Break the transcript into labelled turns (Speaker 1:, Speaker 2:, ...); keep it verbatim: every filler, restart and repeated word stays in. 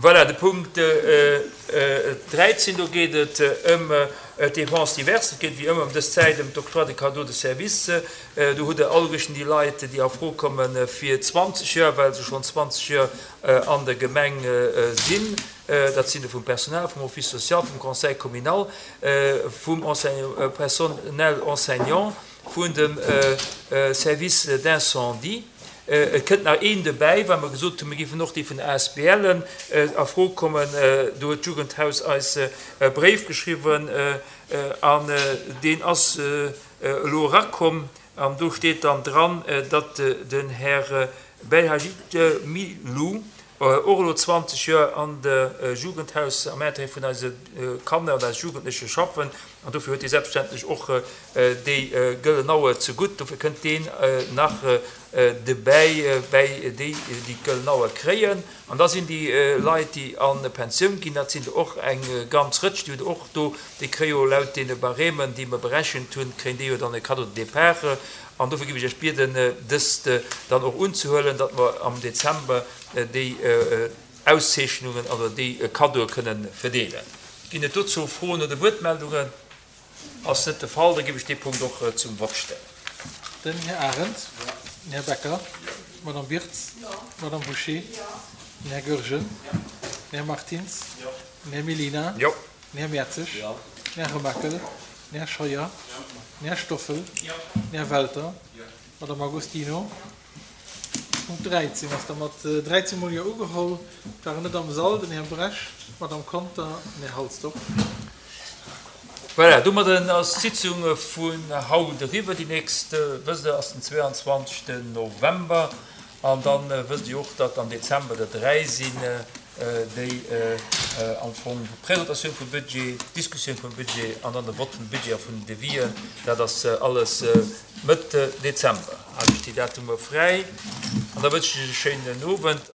Speaker 1: Voilà, de Punkt dräizéng, do geet et ëm d'Dépenses diverses. Et geet wéi ëmmer ëm dës Zäit ëm d'Octroi de cadeaux de service. Do hutt Der alleguerten déi Leit, déi a Fro komme fir zwanzeg Joer, well se schonn zwanzeg Joer an der Gemeng sinn. Dat sinn der vum Personal, vum Office social, vum Conseil communal, vum Personnel enseignant, vun dem Service d'incendie. Et kënnt nach een dobäi, well mer gesot hunn, mir géifen och déi vun der A S B L a Fro kommen. Do huet d'Jugendhaus eis e Bréif geschriwwen an deen ass elo erakomm. An do steet dann dran, datt den Här Belhajit Milou och elo zwanzeg Joer an de Jugendhaus am Intérêt vun eise Kanner an eise Jugendleche schaffen. An dofir huet hie selbstverständlech och déi gëllen Auer zegutt. Dofir kënnt deen nach debäi bäi déi, déi d'gëllen Auer kréien. An da sinn déi Leit, déi a Pensioun ginn, dat sinn der och eng ganz Rëtsch, déi hutt Der och do, déi kréie jo laut deene Barèmen, déi mer berechent hunn, kréien déi jo dann e Cadeau de départ. An dofir géif ech Iech bieden, dëst dann och unzehuelen, datt mer am Dezember déi Auszeechnungen oder déi Cadeaue kënnen verdeelen. Ginn et dozou Froen oder Wuertmeldungen? Ass net de Fall, da géif ech dee Punkt och zum Vott stellen.
Speaker 2: Den Här Arendt. Den Här Becker. D'Madame Birtz. D'Madame Bouché. Den Här Goergen. Den Här Martins. Den Här Mellina. Den Här Mertzig. Den Här Remakel. Den Här Scheuer. Den Här Stoffel. Den Här Welter. D'Madame Agostino. Punkt dräizéng ass da mat dräizéng mol Jo ugeholl. Et waren net am Sall den Här Brecht, d'Madame Conter an den Här Halsdorf.
Speaker 1: Voilà, domadden ass d'Sitzung vun haut eriwwer. Déi nächst, wësst Der, ass den zweeanzwanzegsten November. An da wësst Dir och, datt am Dezember der dräi sinn, déi am Fong d'Presentatioun vum Budget, d'Diskussioun vum Budget an dann de Vott vum Budget a vun den Devisen. Dat ass alles Mëtt Dezember. Halen ech déi Datumer fräi an da wënschen ech Iech e schéinen Owend.